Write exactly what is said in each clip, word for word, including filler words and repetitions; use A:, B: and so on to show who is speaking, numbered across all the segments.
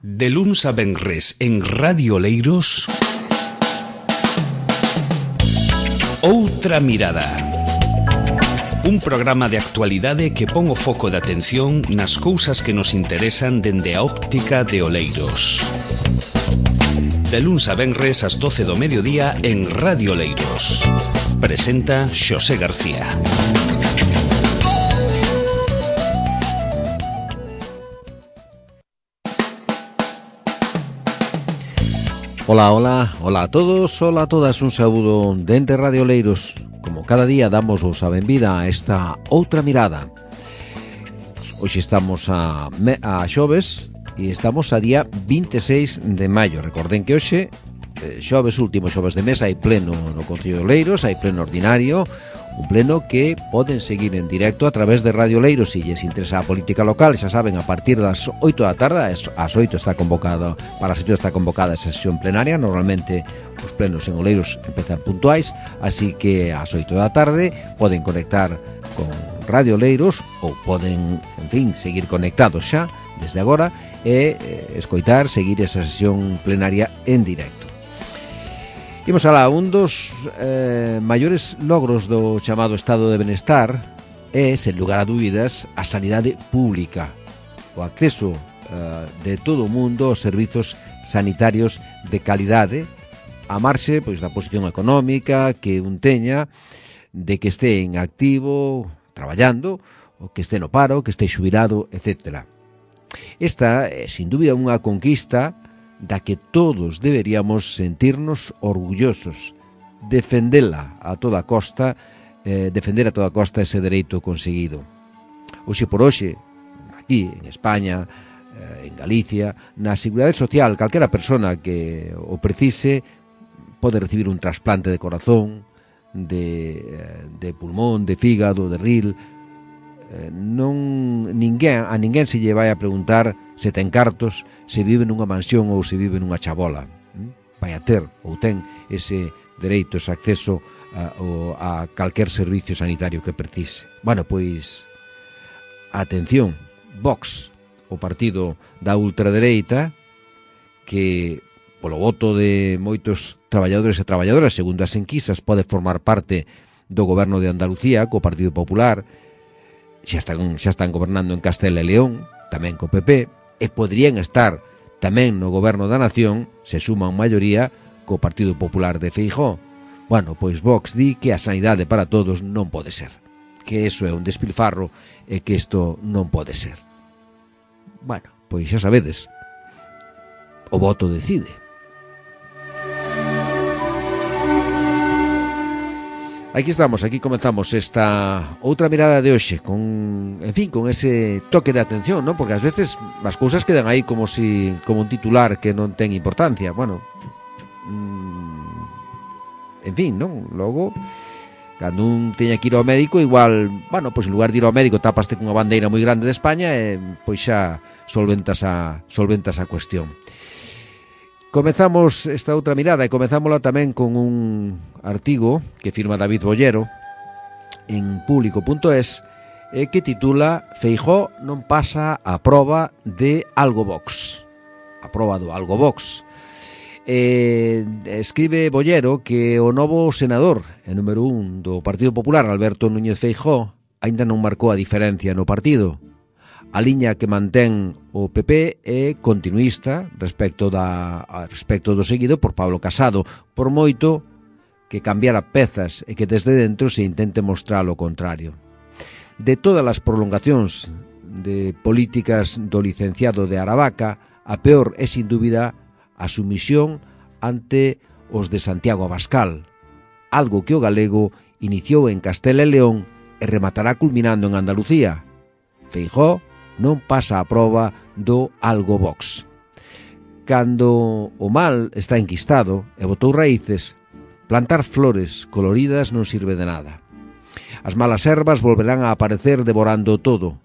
A: De luns a venres en Radio Oleiros, Outra Mirada. Un programa de actualidade que pon o foco de atención nas cousas que nos interesan dende a óptica de Oleiros. De luns a venres ás doce do mediodía en Radio Oleiros. Presenta Xosé García.
B: Ola, ola, ola a todos, ola a todas, un saúdo dende Radio Oleiros. Como cada día damos vos a benvida a esta Outra Mirada. Hoxe estamos a, a xoves e estamos a día vinte e seis de maio. Recorden que hoxe, xoves, último xoves de mes, hai pleno no Concello de Oleiros, hai pleno ordinario, un pleno que poden seguir en directo a través de Radio Oleiros. Se lles interesa a política local, xa saben, a partir das oito da tarde, ás oito está convocado, para as oito está convocada a sesión plenaria. Normalmente os plenos en Oleiros empezan puntuais, así que ás oito da tarde poden conectar con Radio Oleiros ou poden, en fin, seguir conectados xa desde agora e eh, escoitar, seguir esa sesión plenaria en directo. Imos alá, un dos eh, maiores logros do chamado estado de benestar é, sen lugar a dúbidas, a sanidade pública, o acceso eh, de todo o mundo aos servizos sanitarios de calidade, a marxe pois, da posición económica que un teña, de que este en activo, traballando, o que este no paro, que este xubilado, etcétera. Esta é, sin dúbida, unha conquista da que todos deberíamos sentirnos orgullosos, defendela a toda costa, eh, defender a toda costa ese dereito conseguido. Hoxe por hoxe, aquí en España, eh, en Galicia, na Seguridade Social, calquera persona que o precise pode recibir un trasplante de corazón, de, de pulmón, de fígado, de ril. Eh, non ninguén, a ninguén se lle vai a preguntar se ten cartos, se vive nunha mansión ou se vive nunha chabola. ¿Mm? Vai a ter ou ten ese dereito, ese acceso a, a calquer servicio sanitario que precise. Bueno, pois, atención, Vox, o partido da ultradereita, que polo voto de moitos traballadores e traballadoras, segundo as enquisas, pode formar parte do goberno de Andalucía, co Partido Popular. Xa están, xa están gobernando en Castela e León, tamén co P P, e poderían estar tamén no goberno da nación, se suman maioría, co Partido Popular de Feijóo. Bueno, pois Vox di que a sanidade para todos non pode ser, que eso é un despilfarro e que isto non pode ser. Bueno, pois xa sabedes, o voto decide. Aquí estamos, aquí comenzamos esta outra mirada de hoxe con, en fin, con ese toque de atención, ¿no? Porque ás veces as cousas quedan aí como si como un titular que non ten importancia. Bueno, mmm, en fin, non? Logo, cando un teña que ir ao médico, igual, bueno, pois en lugar de ir ao médico tapaste cunha bandeira moi grande de España e pois xa solventas a solventas a cuestión. Comezamos esta outra mirada e comezámola tamén con un artigo que firma David Bollero en público punto es e que titula Feijóo non pasa a proba de Algovox. A proba do Algovox. E escribe Bollero que o novo senador e número un do Partido Popular, Alberto Núñez Feijóo, aínda non marcou a diferencia no partido. A liña que mantén o P P é continuista respecto da respecto do seguido por Pablo Casado, por moito que cambiara pezas e que desde dentro se intente mostrar o contrario. De todas as prolongacións de políticas do licenciado de Aravaca, a peor é sin dúbida a sumisión ante os de Santiago Abascal, algo que o galego iniciou en Castela e León e rematará culminando en Andalucía. Feijóo non pasa a proba do Algovox. Cando o mal está enquistado e botou raíces, plantar flores coloridas non sirve de nada. As malas ervas volverán a aparecer devorando todo.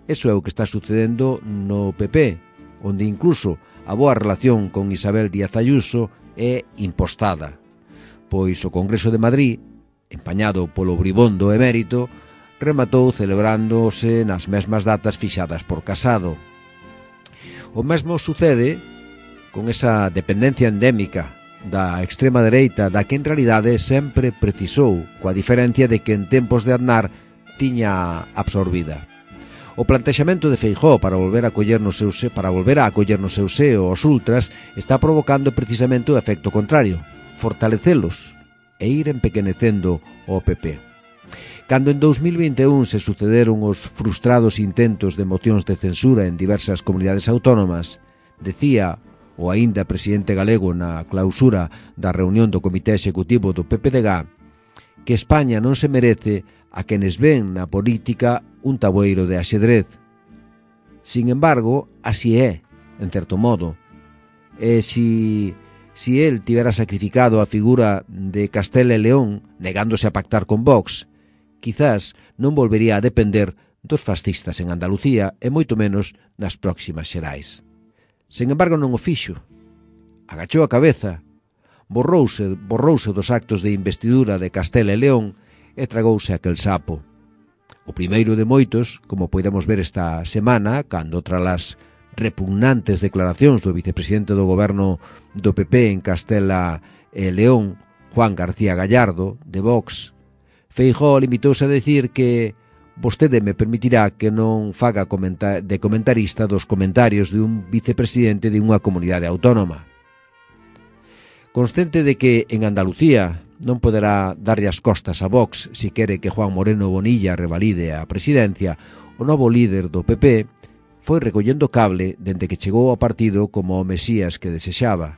B: Eso é o que está sucedendo no P P, onde incluso a boa relación con Isabel Díaz Ayuso é impostada, pois o Congreso de Madrid, empañado polo bribondo emérito, rematou celebrándose nas mesmas datas fixadas por Casado. O mesmo sucede con esa dependencia endémica da extrema dereita da que en realidade sempre precisou, coa diferencia de que en tempos de Aznar tiña absorbida. O plantexamento de Feijóo para volver a acoller no seu se, para volver a acoller no seu seo os ultras está provocando precisamente o efecto contrario, fortalecelos e ir empequenecendo o P P. Cando en dous mil vinte e un se sucederon os frustrados intentos de mocións de censura en diversas comunidades autónomas, decía o aínda presidente galego na clausura da reunión do Comité Executivo do P P D G que España non se merece a quenes ven na política un taboeiro de axedrez. Sin embargo, así é, en certo modo. E si, si el tivera sacrificado a figura de Castela e León, negándose a pactar con Vox, quizás non volvería a depender dos fascistas en Andalucía e moito menos nas próximas xerais. Sen embargo, non o fixo. Agachou a cabeza, borrouse, borrouse dos actos de investidura de Castela e León e tragouse aquel sapo. O primeiro de moitos, como podemos ver esta semana, cando tras as repugnantes declaracións do vicepresidente do goberno do P P en Castela e León, Juan García Gallardo, de Vox, Feijóo limitouse a decir que vostede me permitirá que non faga comenta- de comentarista dos comentarios de un vicepresidente de unha comunidade autónoma. Consciente de que en Andalucía non poderá darlle as costas a Vox si quere que Juan Moreno Bonilla revalide a presidencia, o novo líder do P P foi recollendo cable dende que chegou ao partido como o mesías que desexaba.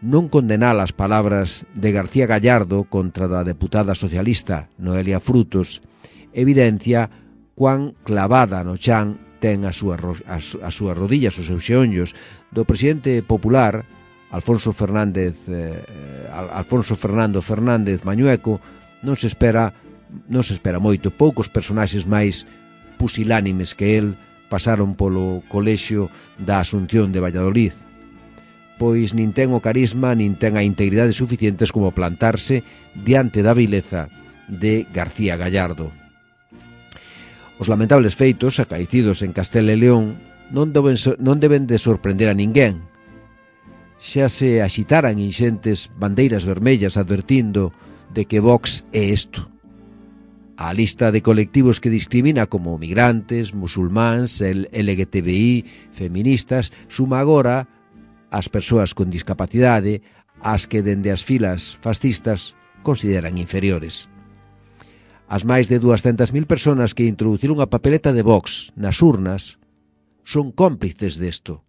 B: Non condenar as palabras de García Gallardo contra da deputada socialista Noelia Frutos evidencia cuán clavada no chan ten as súas, as, as súas rodillas, os seus xeonllos, do presidente popular Alfonso Fernández eh, Alfonso Fernando Fernández Mañueco. Non se espera non se espera moito. Poucos personaxes máis pusilánimes que el pasaron polo colexio da Asunción de Valladolid, pois nin ten o carisma nin ten a integridade suficientes como plantarse diante da vileza de García Gallardo. Os lamentables feitos acaecidos en Castela e León non deben, non deben de sorprender a ninguén. Xa se axitaran inxentes bandeiras vermellas advertindo de que Vox é isto. A lista de colectivos que discrimina como migrantes, musulmáns, L G T B I, feministas, suma agora as persoas con discapacidade, as que dende as filas fascistas consideran inferiores. As máis de duascentas mil persoas que introduciron a papeleta de Vox nas urnas son cómplices desto,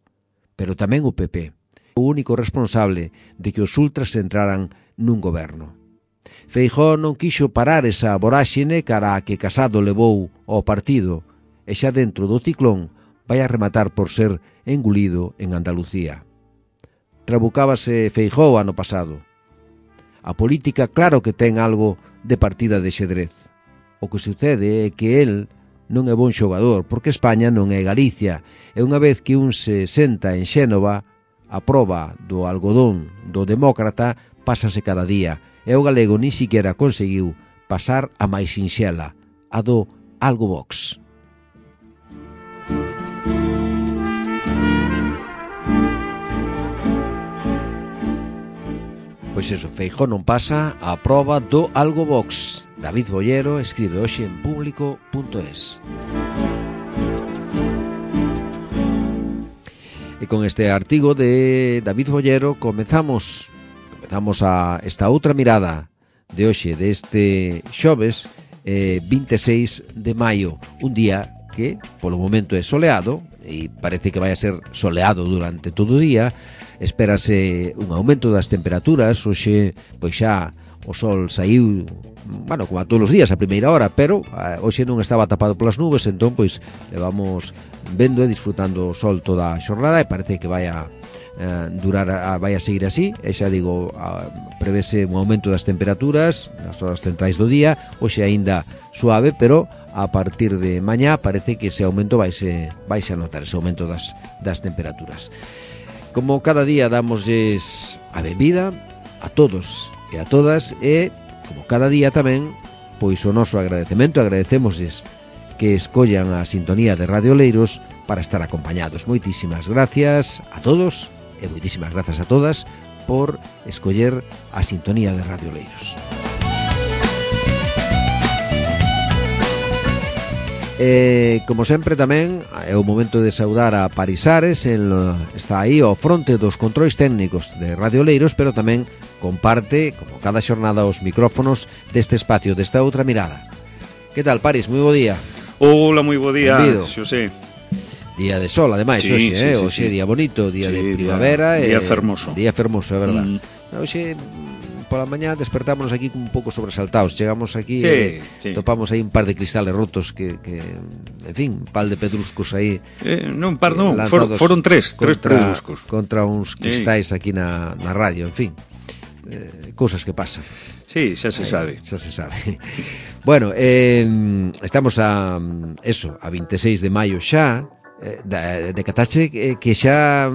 B: pero tamén o P P, o único responsable de que os ultras entraran nun goberno. Feijóo non quixo parar esa voráxine cara a que Casado levou ao partido e xa dentro do ciclón vai a rematar por ser engulido en Andalucía. Trabucábase Feijóo ano pasado. A política claro que ten algo de partida de xedrez. O que sucede é que el non é bon xogador, porque España non é Galicia, e unha vez que un se senta en Xénova, a proba do algodón do demócrata pásase cada día, e o galego ni siquiera conseguiu pasar a máis sinxela, a do Algo Vox. Pois eso, Feijóo non pasa a proba do Algo Vox. David Bollero escribe hoxe en público punto es. E con este artigo de David Bollero comezamos comezamos a esta outra mirada de hoxe, deste xoves eh, vinte e seis de maio, un día que polo momento é soleado e parece que vai a ser soleado durante todo o día. Espérase un aumento das temperaturas. Hoxe pois xa o sol saiu, bueno, como a todos os días a primeira hora, pero eh, hoxe non estaba tapado polas nubes, entón pois levamos vendo e disfrutando o sol toda a xornada e parece que vai a eh, durar, a, vai a seguir así. E xa digo, a, prevese un aumento das temperaturas nas horas centrais do día. Hoxe aínda suave, pero a partir de mañá parece que ese aumento vaise, vaise a notar, ese aumento das, das temperaturas. Como cada día damosles a benvida a todos e a todas, e como cada día tamén pois o noso agradecemento, agradecémosles que escollan a sintonía de Radio Oleiros para estar acompañados. Moitísimas gracias a todos e moitísimas grazas a todas por escoller a sintonía de Radio Oleiros. E, como sempre, tamén é o momento de saudar a Parisares. El está aí ao fronte dos controis técnicos de Radio Oleiros, pero tamén comparte, como cada xornada, os micrófonos deste espacio, desta outra mirada. Que tal, Paris? Moi bo día.
C: Hola, moi bo día, Xosé.
B: Día de sol, ademais,
C: sí,
B: hoxe,
C: sí,
B: eh?
C: sí,
B: Hoxe
C: sí.
B: día bonito, día
C: sí,
B: de primavera.
C: Día,
B: eh,
C: día fermoso.
B: Día fermoso, é verdad.
C: Mm.
B: Hoxe, pola mañá, despertámonos aquí un pouco sobresaltados. Chegamos aquí
C: sí,
B: e
C: sí.
B: topamos aí un par de cristales rotos que, que en fin, un par de pedruscos aí.
C: Eh, non, par non,
B: eh,
C: for, foron tres, tres
B: contra,
C: pedruscos.
B: Contra uns cristais sí. aquí na, na radio, en fin. Eh, cousas que pasan.
C: Sí, xa se
B: Aí,
C: sabe.
B: Xa se sabe. Bueno, eh, estamos a eso, a veintiséis de maio xa. Eh, de, de catache que, que xa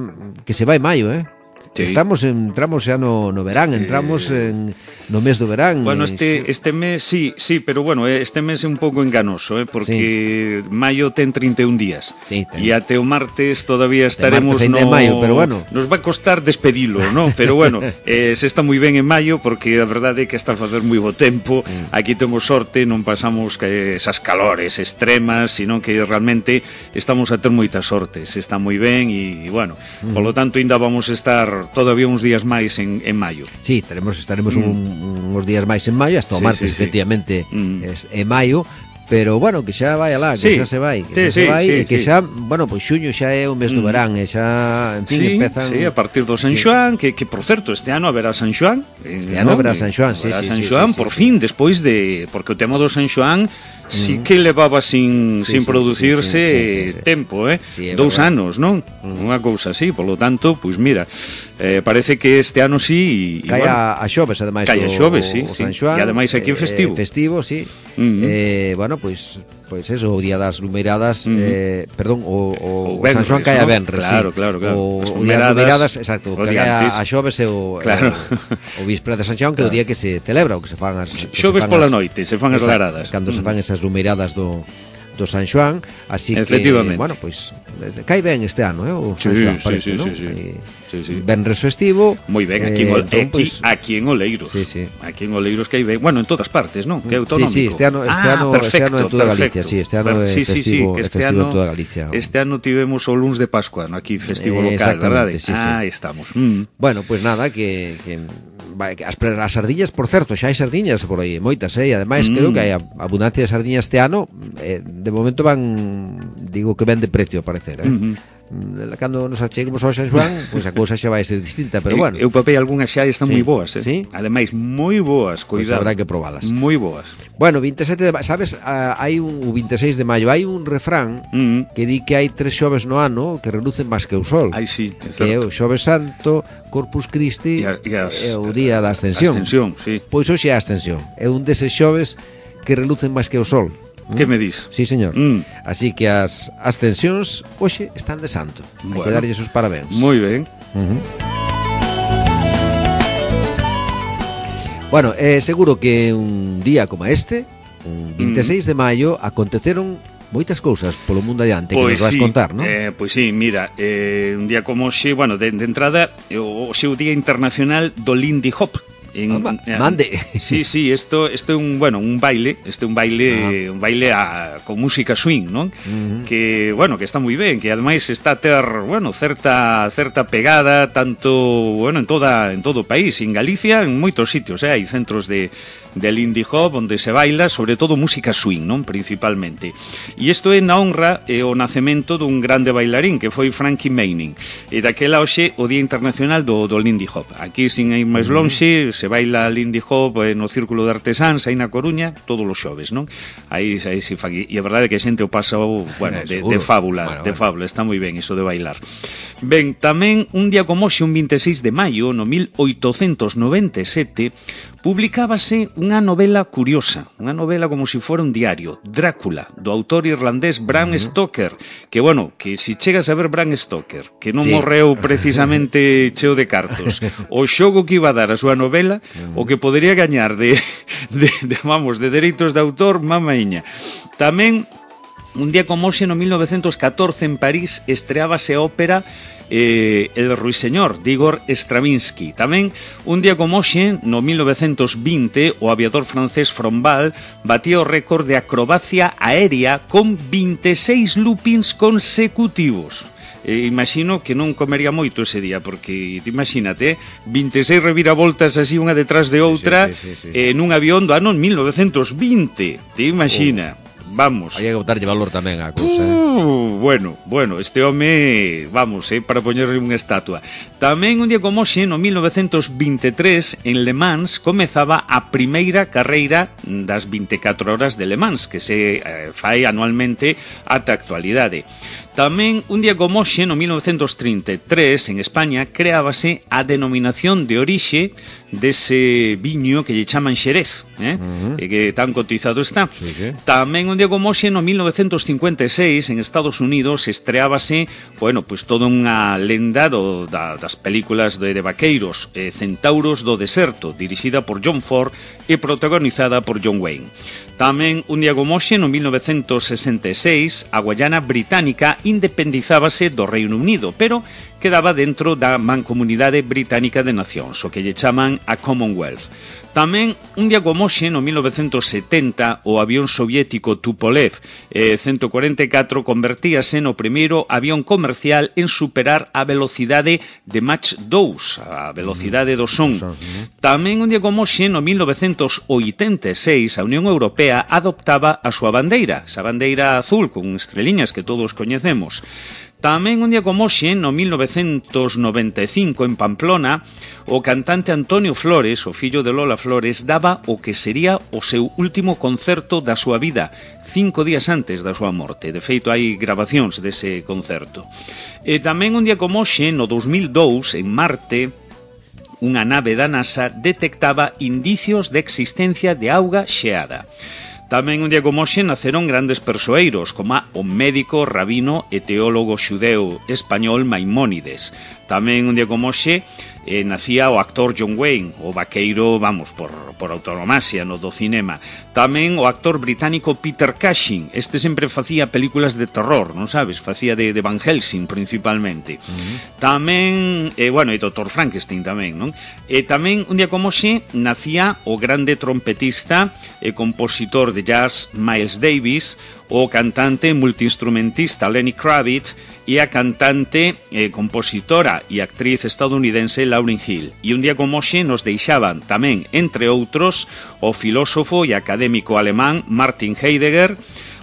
B: que se vai maio, eh? Sí. Estamos entramos xa no, no verán, entramos eh... en, no mes do verán.
C: Bueno, este este mes sí, sí, pero bueno, este mes é un pouco enganoso, eh, porque sí. maio ten treinta e un días.
B: Sí,
C: e até o martes todavía estaremos
B: martes
C: no
B: de maio, pero bueno.
C: Nos vai costar despedilo, ¿no? Pero bueno, eh, se está moi ben en maio porque a verdade é que está a facer moi bo tempo. Mm. Aquí temos sorte, non pasamos que esas calores extremas, sino que realmente estamos a ter moitas sortes. Está moi ben e, bueno, mm. polo tanto ainda vamos a estar todavía uns días máis en, en maio.
B: Sí, teremos, estaremos mm. un, uns días máis en maio, hasta o sí, martes, sí, efectivamente, sí. mm. es, en maio, pero, bueno, que xa vai alá, que sí. xa se vai, que sí, xa se vai, sí, e que sí. xa, bueno, pois xuño xa é o mes do verán, e xa, en fin,
C: sí,
B: empezan...
C: Sí, a partir do San Xoán, sí. que, que, por certo, este ano haberá San Xoán.
B: Este ano haberá San Xoán, sí, sí,
C: San
B: sí,
C: Xoán,
B: sí,
C: por
B: sí,
C: fin,
B: sí.
C: despois de... Porque o tema do San Xoán sí que levaba sin,
B: sí,
C: sin
B: sí,
C: producirse
B: sí, sí, sí, sí, sí. tempo,
C: eh?
B: Sí,
C: Dous
B: verdad.
C: anos, non? Mm. Unha cousa así, polo tanto, pois mira, eh, parece que este ano sí...
B: Cae bueno, a xoves, ademais,
C: cae a xoves, sí,
B: o
C: sí.
B: San Xoán.
C: E ademais aquí é festivo.
B: Eh, festivo, sí.
C: Mm-hmm.
B: eh, bueno, pois... Pois eso, o día das lumeiradas, mm. eh, perdón, o, o,
C: o, Benres,
B: o San Xoán cae a Benres,
C: claro,
B: sí.
C: Claro, claro,
B: o, o día das lumeiradas, exacto, o que cae a, a xoves é o,
C: claro.
B: o, o víspera de San Xoán, que é claro. o día que se celebra, o que se fan as...
C: Xoves pola noite, se fan as laradas.
B: Cando mm. se fan esas lumeiradas do... do San Xoán, así que, bueno, pois pues, cae ben este ano, eh, o San
C: sí,
B: Xoán,
C: sí,
B: parece,
C: sí,
B: ¿no?
C: sí, sí. Sí, sí.
B: Benres festivo.
C: Moi ben, aquí, eh, en, entón, aquí, pues, aquí en Oleiros.
B: Sí, sí.
C: Aquí en Oleiros que hai ben, bueno, en todas partes, ¿no? Que é autonómico.
B: Sí, sí, este ano, este
C: ah,
B: ano,
C: perfecto,
B: este ano en toda
C: perfecto.
B: Galicia, sí, este ano é
C: sí,
B: festivo,
C: sí, sí, que este
B: festivo
C: ano,
B: en toda Galicia.
C: Este ano tivemos o luns de Pascua, ¿no? Aquí festivo
B: eh,
C: local, verdade?
B: Sí, sí.
C: Ah, estamos. Mm.
B: Bueno, pues nada, que, que as, as sardiñas, por certo, xa hai sardiñas por aí, moitas, eh, e ademais mm. creo que hai abundancia de sardiñas este ano, eh, de momento van, digo que ven de precio, a parecer, eh. Mm-hmm. Cando nos acheguemos ao San Xoán, pois pues a cousa xa vai ser distinta, pero bueno.
C: Eu papei algunhas xa están
B: sí.
C: moi boas, eh.
B: Sí?
C: Ademais moi boas, cuidado.
B: Pois pues habrá que probalas.
C: Moi boas.
B: Bueno, veintisiete de maio, sabes, uh, hai un o veintiséis de maio hai un refrán mm. que di que hai tres xoves no ano que relucen máis que o sol.
C: Ai, sí, é
B: que é o Xoves Santo, Corpus Christi e,
C: e as,
B: é o día da Ascensión.
C: Ascensión, sí.
B: Pois hoxe é a Ascensión. É un deses xoves que relucen máis que o sol.
C: Que me dis?
B: Sí, señor.
C: Mm.
B: Así que as ascensións hoxe están de santo. Bueno, hai que darlle os parabéns.
C: Moi ben.
B: Uh-huh. Bueno, é eh, seguro que un día como este, un veintiséis mm. de maio, aconteceron moitas cousas polo mundo adiante
C: pues
B: que nos vas
C: sí,
B: contar, non?
C: Eh, pois pues sí, mira, eh, un día como hoxe, bueno, de, de entrada, o seu Día Internacional do Lindy Hop.
B: En, oh, mande.
C: Sí, sí, esto esto é un, bueno, un baile, este é un baile, ah. un baile a, con música swing, non? Uh-huh. Que, bueno, que está moi ben, que ademais está a ter, bueno, certa certa pegada tanto, bueno, en toda en todo o país, en Galicia, en moitos sitios, eh, hai centros de de Lindy Hop onde se baila, sobre todo música swing, non? Principalmente. E isto é na honra e o nacemento dun grande bailarín que foi Frankie Manning. E daquela hoxe o Día Internacional do, do Lindy Hop. Aquí, sin ir máis lonxe, se baila Lindy Hop no Círculo de Artesáns aí na Coruña todos os xoves, non? Aí, aí se fa. E a verdade é que a xente o pasa, bueno, de, de fábula, bueno, de fábula, está moi ben iso de bailar. Ben, tamén un día como hoxe, un veintiséis de maio, no mil oitocentos noventa e sete, publicábase unha novela curiosa, unha novela como se si fora un diario, Drácula, do autor irlandés Bram uh-huh. Stoker, que, bueno, que si chegas a ver Bram Stoker, que non sí. morreu precisamente cheo de cartos, o xogo que iba a dar a súa novela, uh-huh. o que podería gañar de, de, de, vamos, de dereitos de autor, mamaíña. Tamén un día como hoxe, no mil novecentos catorce, en París, estreábase a ópera eh, El Ruiseñor, de Igor Stravinsky. Tamén, un día como hoxe, no mil novecentos vinte, o aviador francés Frombal batía o récord de acrobacia aérea con vinte e seis loopings consecutivos. Eh, imagino que non comería moito ese día, porque te imagínate, vinte e seis reviravoltas así unha detrás de outra, sí, sí, sí, sí. Eh, nun avión do ano mil novecentos vinte, te imagina. Oh. Vamos.
B: Hai que botarlle valor tamén a cousa, eh?
C: Uh, bueno, bueno, este home, vamos, eh, para poñerle unha estatua. Tamén un día como hoxe, no mil novecentos vinte e tres, en Le Mans comezaba a primeira carreira das vinte e catro horas de Le Mans, que se eh, fai anualmente ata a actualidade. Tamén, un día como hoxe, no mil novecentos trinta e tres, en España, creábase a denominación de orixe dese viño que lle chaman Xerez, eh? Uh-huh. E que tan cotizado está. Sí, sí. Tamén, un día como hoxe, no mil novecentos cincuenta e seis, en Estados Unidos, estreábase, bueno, pues toda unha lenda do, da, das películas de, de vaqueiros, eh, Centauros do Deserto, dirixida por John Ford e protagonizada por John Wayne. Tamén, un día como hoxe, no mil novecentos sesenta e seis, a Guayana Británica independizábase do Reino Unido, pero quedaba dentro da Mancomunidade Británica de Nacións, o que lle chaman a Commonwealth. Tamén, un día como hoxe, no mil novecentos setenta, o avión soviético Tupolev eh, ciento cuarenta e catro convertíase no primeiro avión comercial en superar a velocidade de Mach dous, a velocidade do son. Tamén, un día como hoxe, no mil novecentos oitenta e seis, a Unión Europea adoptaba a súa bandeira, esa bandeira azul con estreliñas que todos coñecemos. Tamén un día como hoxe, no mil novecentos noventa e cinco, en Pamplona, o cantante Antonio Flores, o fillo de Lola Flores, daba o que sería o seu último concerto da súa vida, cinco días antes da súa morte. De feito, hai grabacións dese concerto. E tamén un día como hoxe, no dos mil dous, en Marte, unha nave da NASA detectaba indicios de existencia de auga xeada. Tamén un día como hoxe naceron grandes persoeiros, como o médico, rabino e teólogo xudeu español Maimónides. Tamén un día como hoxe eh, nacía o actor John Wayne, o vaqueiro, vamos, por, por autonomasia no do cinema. Tamén o actor británico Peter Cushing, este sempre facía películas de terror, non sabes? Facía de, de Van Helsing principalmente. Uh-huh. Tamén, eh, bueno, e doutor Frankenstein tamén, non? E tamén un día como hoxe nacía o grande trompetista e compositor de jazz Miles Davis, o cantante multiinstrumentista Lenny Kravitz e a cantante, eh, compositora e actriz estadounidense Lauryn Hill. E un día como hoxe nos deixaban tamén, entre outros, o filósofo e académico alemán Martin Heidegger,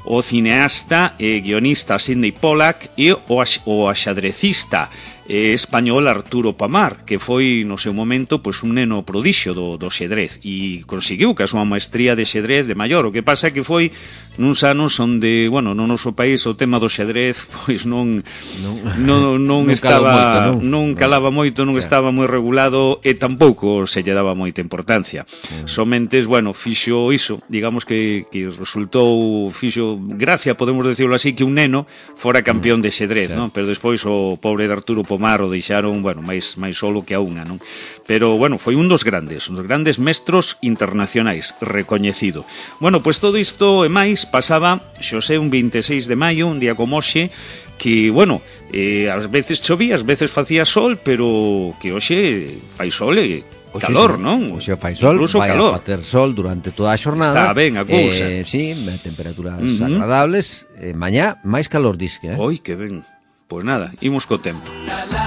C: o cineasta e guionista Sidney Pollack e o, o axadrecista eh, español Arturo Pamar, que foi no seu momento pois, un neno prodixio do, do xedrez e conseguiu que a súa maestría de xedrez de maior. O que pasa é que foi nuns anos onde, bueno, no noso país o tema do xedrez pois non non, non, non estaba moito, non? non calaba moito, non o sea, estaba moi regulado e tampouco se lle daba moita importancia. Uh-huh. Somentes, bueno, fixo iso, digamos que, que resultou fixo gracia, podemos decirlo así, que un neno fora campeón de xedrez, uh-huh, non? Pero despois o pobre de Arturo Pomar o deixaron, bueno, máis máis solo que a unha, non? Pero, bueno, foi un dos grandes, un dos grandes mestros internacionais, recoñecido. Bueno, pois todo isto e máis pasaba, xosé, un vinte e seis de maio, un día como hoxe, que, bueno, eh, ás veces chovía, ás veces facía sol, pero que hoxe fai sol e
B: Oxe,
C: calor,
B: sí,
C: non?
B: Oxe fai sol,
C: incluso
B: vai
C: calor.
B: a facer sol durante toda a xornada.
C: Está ben a cousa.
B: Eh, sí, temperaturas
C: uh-huh.
B: agradables. Eh, mañá, máis calor, disque, eh?
C: Oi, que ben. Pois nada, imos co tempo. La, la,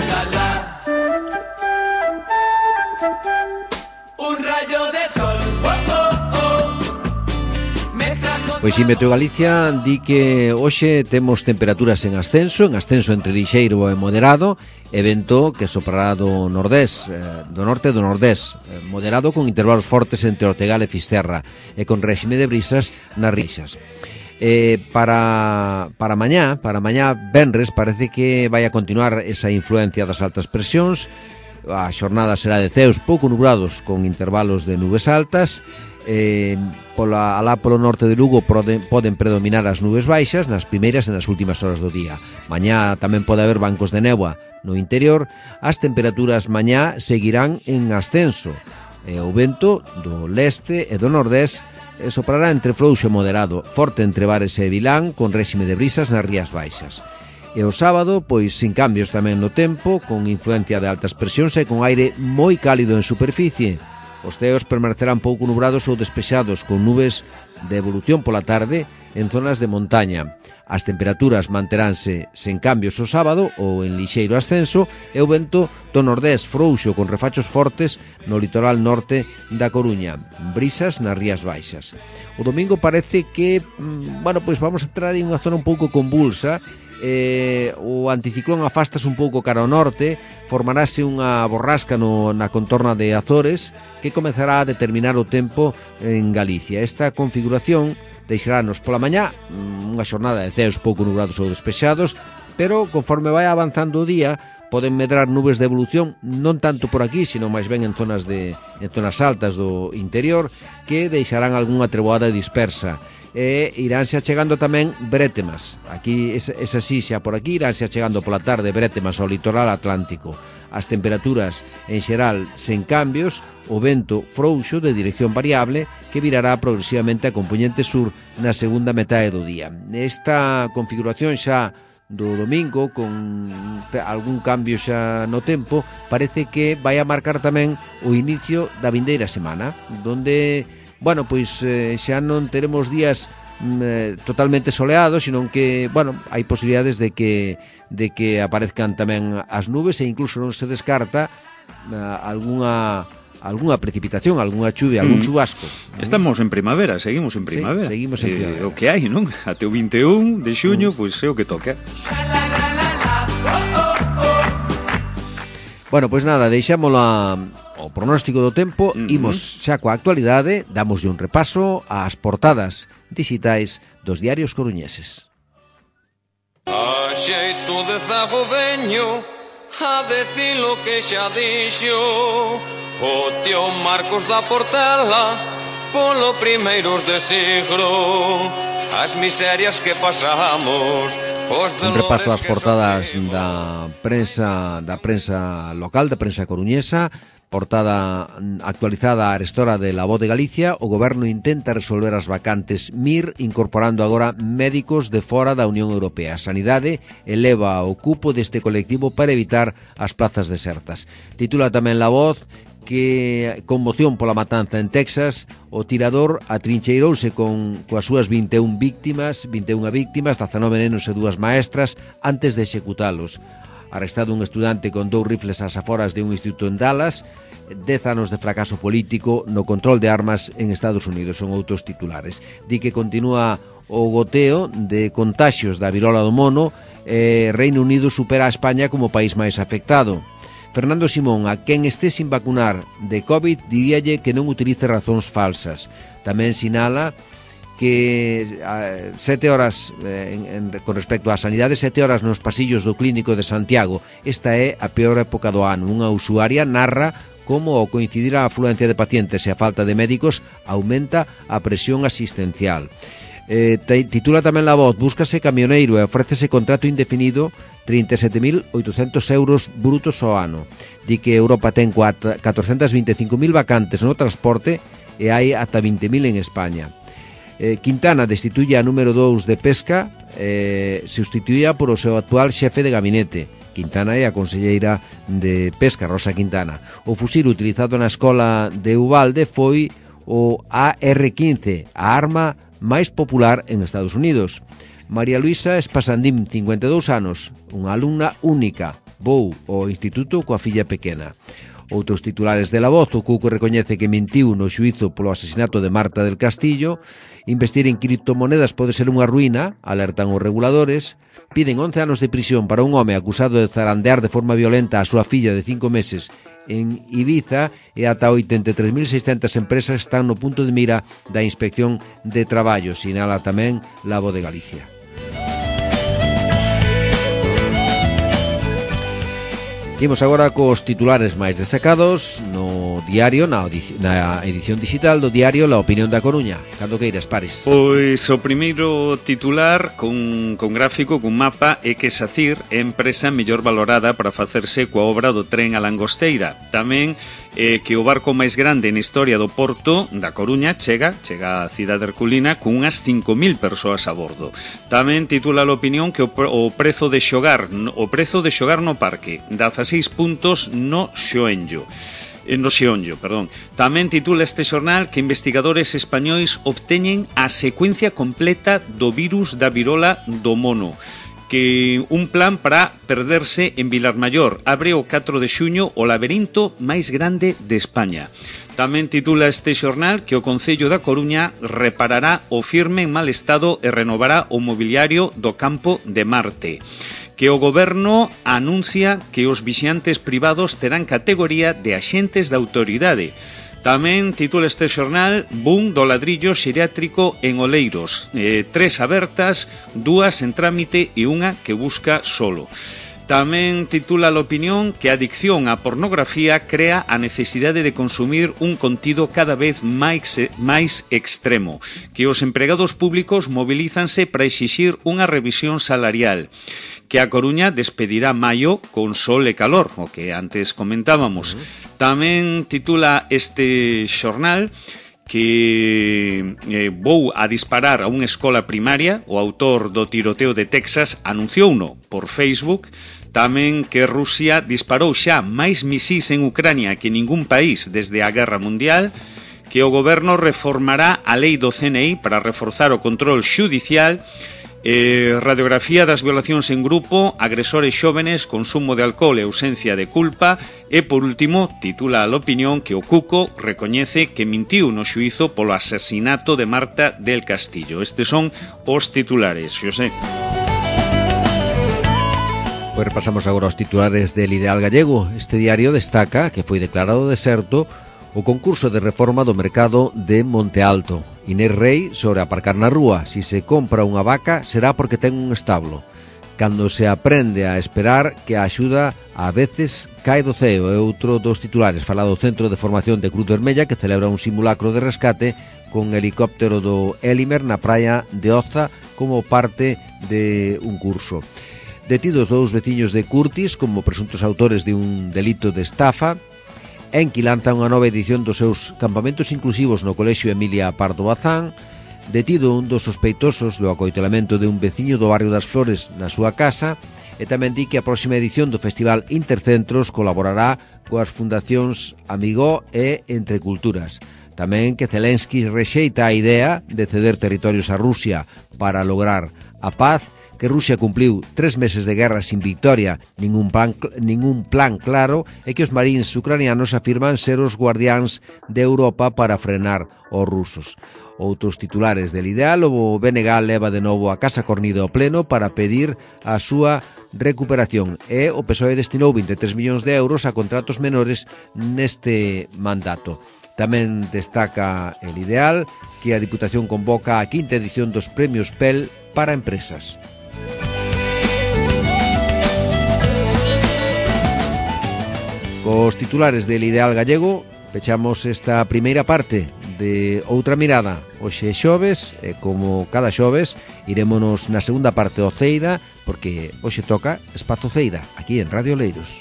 C: la, la. Un rayo de sol, oh, oh, oh.
B: Pois si Meteo Galicia di que hoxe temos temperaturas en ascenso, en ascenso entre lixeiro e moderado, e vento que soprará do nordés, eh, do norte e do nordés, eh, moderado con intervalos fortes entre Ortegal e Fisterra, e con réxime de brisas nas rixas. Eh, para, para mañá, para mañá venres, parece que vai a continuar esa influencia das altas presións. A xornada será de ceos pouco nublados con intervalos de nubes altas. Eh, pola, alá polo norte de Lugo poden, poden predominar as nubes baixas nas primeiras e nas últimas horas do día. Mañá tamén pode haber bancos de néboa no interior. As temperaturas mañá seguirán en ascenso. E o vento do leste e do nordés e soprará entre frouxo e moderado, forte entre Bares e Vilán, con réxime de brisas nas Rías Baixas. E o sábado, pois, sin cambios tamén no tempo, con influencia de altas presións e con aire moi cálido en superficie. Os ceos permanecerán pouco nubrados ou despexados, con nubes de evolución pola tarde en zonas de montaña. As temperaturas manteránse sen cambios o sábado ou en lixeiro ascenso e o vento do nordés frouxo con refachos fortes no litoral norte da Coruña, brisas nas Rías Baixas. O domingo parece que, bueno, pois vamos a entrar en unha zona un pouco convulsa. Eh, o anticiclón afastase un pouco cara ao norte, formarase unha borrasca no, na contorna de Azores que comezará a determinar o tempo en Galicia. Esta configuración deixarános pola mañá unha xornada de ceos pouco nubrados ou despexados, pero conforme vai avanzando o día poden medrar nubes de evolución, non tanto por aquí, sino máis ben en zonas de en zonas altas do interior, que deixarán algunha treboada dispersa. E iránse achegando tamén brétemas. Aquí, es, es así, xa por aquí iránse achegando pola tarde brétemas ao litoral atlántico. As temperaturas en xeral sen cambios, o vento frouxo de dirección variable que virará progresivamente a compoñente sur na segunda metade do día. Esta configuración xa do domingo, con algún cambio xa no tempo, parece que vai a marcar tamén o inicio da vindeira semana, donde, bueno, pois eh, xa non teremos días eh, totalmente soleados, sino que, bueno, hai posibilidades de que de que aparezcan tamén as nubes e incluso non se descarta eh, algunha algunha precipitación, algunha chuvia, algún chubasco.
C: Estamos en primavera, seguimos en primavera.
B: Sí, seguimos en primavera.
C: Eh, o que hai, non? Até o vinte e un de xuño, mm. pois é o que toca.
B: Bueno, pois nada, deixámola o pronóstico do tempo, uh-huh. Imos xa coa actualidade, damoslle un repaso ás portadas digitais dos diarios coruñeses.
D: A xeito de zago veño a decir lo que xa dixo o tío Marcos da Portela polo primeiros de siglo, as miserias que pasamos.
B: Un repaso ás portadas da prensa da prensa local, da prensa coruñesa. Portada actualizada a arestora de La Voz de Galicia. O goberno intenta resolver as vacantes M I R incorporando agora médicos de fora da Unión Europea. A Sanidade eleva o cupo deste colectivo para evitar as plazas desertas. Titula tamén La Voz que conmoción pola matanza en Texas, o tirador atrincheirouse con coas súas vinte e un víctimas, vinte e unha víctimas, dezanove nenos e dúas maestras antes de executalos. Arrestado un estudante con dous rifles ás aforas de un instituto en Dallas, dez anos de fracaso político no control de armas en Estados Unidos, son outros titulares. Di que continúa o goteo de contaxios da virola do mono, e Reino Unido supera a España como país máis afectado. Fernando Simón, a quen esté sin vacunar de COVID, diríalle que non utilice razóns falsas. Tamén sinala que a, sete horas eh, en, en, con respecto á sanidade, sete horas nos pasillos do clínico de Santiago. Esta é a peor época do ano. Unha usuaria narra como ao coincidir a afluencia de pacientes e a falta de médicos aumenta a presión asistencial. Eh, titula tamén La Voz, búscase camioneiro e ofrécese contrato indefinido, trinta e sete mil oitocentos euros brutos ao ano. Di que Europa ten catorcentas vinte e cinco mil vacantes no transporte e hai ata vinte mil en España. Eh, Quintana destituye a número dous de Pesca, eh, sustituía por o seu actual xefe de gabinete. Quintana é a conselleira de Pesca, Rosa Quintana. O fusil utilizado na escola de Uvalde foi o A R quince, a arma máis popular en Estados Unidos. María Luisa Espasandín, cincuenta e dous anos, unha alumna única, vou ao instituto coa filla pequena. Outros titulares de La Voz, o Cuco recoñece que mentiu no xuízo polo asesinato de Marta del Castillo. Investir en criptomonedas pode ser unha ruína, alertan os reguladores. Piden once anos de prisión para un home acusado de zarandear de forma violenta a súa filla de cinco meses en Ibiza, e ata oitenta e tres mil seiscentas empresas están no punto de mira da Inspección de Traballo, sinala tamén La Voz de Galicia. Imos agora cos titulares máis destacados no diario, na, na edición digital do diario La Opinión da Coruña. Cando queiras, Pares.
C: Pois o primeiro titular con, con gráfico, con mapa, é que SACIR é empresa mellor valorada para facerse coa obra do tren a Langosteira. Tamén eh, que o barco máis grande na historia do porto da Coruña chega, chega a cidade herculina con unhas cinco mil persoas a bordo. Tamén titula a opinión que o, o prezo de xogar, o prezo de xogar no parque, dezaseis puntos no xoenllo. No xeonllo, perdón. Tamén titula este xornal que investigadores españois obteñen a secuencia completa do virus da virola do mono, que un plan para perderse en Vilarmaior. Abre o catro de xuño o laberinto máis grande de España. Tamén titula este xornal que o Concello da Coruña reparará o firme en mal estado e renovará o mobiliario do campo de Marte, que o goberno anuncia que os vixiantes privados terán categoría de axentes da autoridade. Tamén titula este xornal boom do ladrillo xeriátrico en Oleiros, eh, tres abertas, dúas en trámite e unha que busca solo. Tamén titula a opinión que a adicción á pornografía crea a necesidade de consumir un contido cada vez máis, máis extremo, que os empregados públicos mobilízanse para exixir unha revisión salarial, que a Coruña despedirá maio con sol e calor, o que antes comentábamos. Uh-huh. Tamén titula este xornal que eh, vou a disparar a unha escola primaria. O autor do tiroteo de Texas anunciouno por Facebook. Tamén que Rusia disparou xa máis misís en Ucrania que ningún país desde a Guerra Mundial, que o goberno reformará a lei do C N I para reforzar o control xudicial, eh, radiografía das violacións en grupo, agresores xóvenes, consumo de alcohol e ausencia de culpa, e por último titula a opinión que o Cuco recoñece que mintiu no xuízo polo asasinato de Marta del Castillo. Estes son os titulares, Xosé.
B: Pois repasamos agora os titulares del Ideal Gallego. Este diario destaca que foi declarado deserto o concurso de reforma do mercado de Monte Alto. Inés Rei sobre aparcar na rúa. Si se compra unha vaca será porque ten un establo. Cando se aprende a esperar que a axuda a veces cae do ceo. É outro dos titulares. Fala do Centro de Formación de Cruz Vermella que celebra un simulacro de rescate con helicóptero do Élimer na praia de Oza como parte de un curso. Detidos dous veciños de Curtis como presuntos autores de un delito de estafa. Enqui lanza unha nova edición dos seus campamentos inclusivos no Colexio Emilia Pardo Bazán. Detido un dos sospeitosos do acoitelamento de un veciño do barrio das Flores na súa casa. E tamén di que a próxima edición do Festival Intercentros colaborará coas fundacións Amigó e Entre Culturas. Tamén que Zelensky rexeita a idea de ceder territorios a Rusia para lograr a paz, que Rusia cumpliu tres meses de guerra sin victoria, ningún plan, ningún plan claro, e que os marines ucranianos afirman ser os guardiáns de Europa para frenar os rusos. Outros titulares del Ideal, o B N G leva de novo a Casa Cornida ao pleno para pedir a súa recuperación e o P S O E destinou vinte e tres millóns de euros a contratos menores neste mandato. Tamén destaca el Ideal que a Diputación convoca a quinta edición dos Premios P E L para empresas. Cos titulares del Ideal Gallego pechamos esta primeira parte de Outra Mirada. Hoxe xoves, e como cada xoves irémonos na segunda parte ao Ceida, porque hoxe toca Espazo Ceida, aquí en Radio Oleiros.